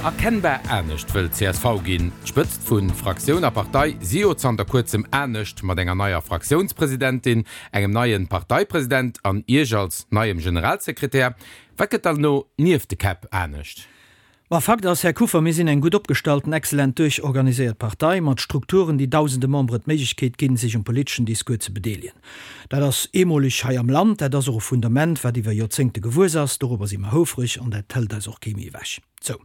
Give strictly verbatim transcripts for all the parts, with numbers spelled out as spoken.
Erkennbar anescht wëll d'CSV ginn. D'Spëtzt vu Fraktioun a Partei si jo zanter kuerzem anescht, mat enger neier Fraktiounspresidentin, engem neie Parteipresident an Iech als neiem Generalsekretär. Wat gëtt dann elo nieft de Käpp anescht? Ma Fakt ass, Här Kuffer, mir sinn eng gutt opgestallten, exzellent duerchorganiséiert Partei mat Strukturen, déi dausende Memberen d'Méiglechkeet ginn, sech um politeschen Discours ze bedeelegen. Dat ass eemoleg hei am Land, dat ass och e Fundament, wat iwwer Joerzéngte gewuess ass. Dorobber si mer houfreg an dat hëlt eis och kee méi ewech. Sou.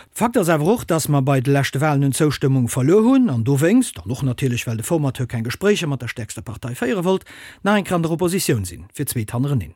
Fakt ass awer och, dass mer bei de leschte Walen un Zoustëmmung verluer hunn an dowéinst, an och natierlech well de Formateur keng Gespréicher mat der stäerkster Partei féiere wollt, nach eng Kéier an der Oppositioun sinn, fir d'zweet hannereneen.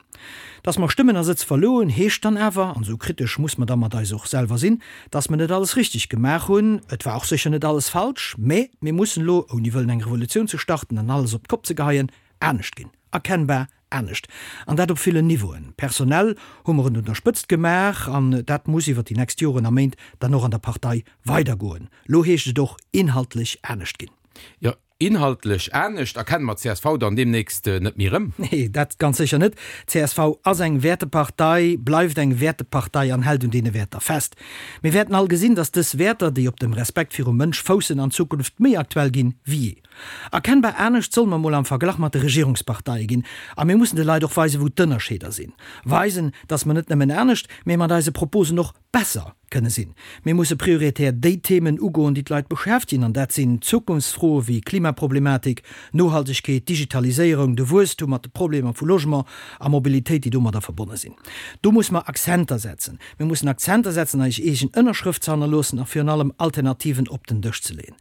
Dass mer Stëmmen a Sëtz verluer hunn, heescht dann awer, an esou kritesch muss mer da mat eis och selwer sinn, dass mer net alles richteg gemaach hunn. Et war och sécher net alles falsch, mä mir mussen elo, ouni wëllen eng Revolutioun ze starten an alles op d'Kopp ze geheien, anescht ginn. Erkennbar anescht. An dat op villen Niveauen. Personell hu mer et un der Spëtzt gemaach an dat muss iwwer déi nächst Joren a Méint dann och an der Partei weidergoen. Lo heescht et och inhaltlech anescht ginn. Jo, inhaltlech anescht. Erkenne mer d'CSV dann deemnächst net méi erëm? Nee, dat ganz sécher net. D'CSV ass eng Wäertepartei, bleift eng Wäertepartei an hält un deene Wäerter fest. Mir wäerten all gesinn, dass dës Wäerter, déi op dem Respekt virum Mënsch foussen, an Zukunft méi aktuell ginn wéi jee. Erkennbar anescht solle mer mol am Verglach mat de Regierungsparteie ginn. A mir mussen de Leit och weisen, wou d'Ënnerscheeder sinn. Weisen, dass mer net nëmmen anescht, mee mat eise Proposen och besser kënne sinn. Mir musse prioritär déi Themen ugoen, déi d'Leit beschäftegen, an dat sinn Zukunftsfroe wéi Klimaproblematik, Nohaltegkeet, Digitaliséierung, de Wuesstum mat de Problemer vu Logement a Mobilitéit, déi domadder verbonne sinn. Do musse mer Akzenter setzen. Mir mussen Akzenter setzen, eis eegen Ënnerschrëft ze hannerloossen a virun allem Alternativen op den Dësch ze leeën.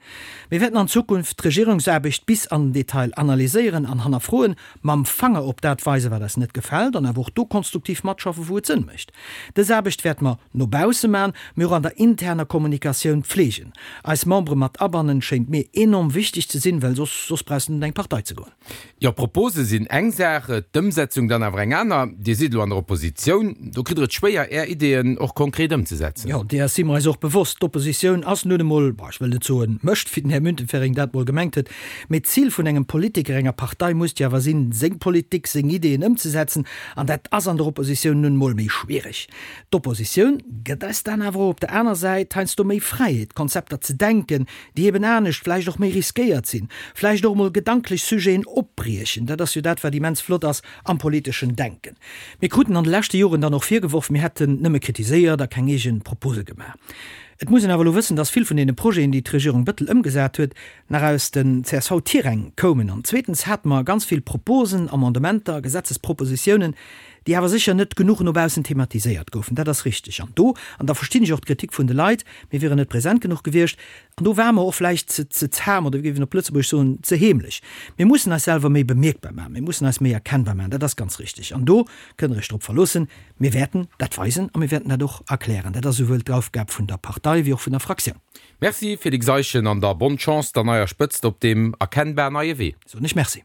Mir wäerten an Zukunft d'Regierungsaarbecht bis an den Detail analyséieren an hannerfroen, mam Fanger op dat weisen, wat eis net gefält, an awer och do konstruktiv matschaffen, wou et Sënn mécht. Dës Aarbecht wäerte mer no bausse man, mee och an der interner Kommunikatioun pflegen. Eis Membere mat abannen, schéngt mir enorm wichteg ze sinn, well soss, soss brauchs de net an eng Partei ze goen. Jo, Propose sinn eng Saach, d'Ëmsetzung dann awer eng aner. Dir sidd elo an der Oppositioun, do kritt Der et schwéier, Är Ideeën och konkret ëmzesetzen. Jo, deeër si mer eis och bewosst. D'Oppositioun ass nun emol, ech wëll net soen mécht, wéi den Här Müntefering dat mol gemengt huet, mee d'Zil vun engem Politiker, enger Partei muss jo awer sinn, seng Politik, seng Ideeën ëmzesetzen, an dat ass an der Oppositioun nun emol méi schwiereg. D'Oppositioun gëtt eis dann awer och op der aner Säit heiansdo méi Fräiheet, Konzepter ze denken, déi eben anescht, vläicht och méi riskéiert sinn, vläicht och emol gedanklech Sujeten opbriechen. Dat ass jo dat, wat immens flott ass am politeschen Denken. Mir kruten an de leschte Joren dann och virgeworf, mir hätten nëmme kritiséiert a keng eegen Propose gemaach. Et muss een awer elo wëssen, dass vill vun deene Projeten, déi d'Regierung Bettel ëmgesat huet, nach aus den CSV-Tiräng koumen. An zweetens hate mer ganz vill Proposen, Amendementer, Gesetzespropositiounen, déi awer sécher net genuch no baussen thematiséiert goufen. Dat ass richteg. An do, an da verstinn ech och d'Kritik vun de Leit, mir wieren net present genuch gewiescht, an do ware mer och vläicht ze, ze zam oder wéi géif een op Lëtzebuergesch soen, ze heemlech. Mir mussen eis selwer méi bemierkbar maachen, mir mussen eis méi erkennbar maachen, dat ass ganz richteg. An do kënnt Der Iech drop verloossen, Mir wäerten dat weisen a mir wäerten dat och erklären. Dat ass esouwuel d'Aufgab vun der Partei wéi och vun der Fraktioun. Merci Félix Eischen an da bonne Chance der neier Spëtzt op deem erkennbar neie Wee. Soen ech Merci.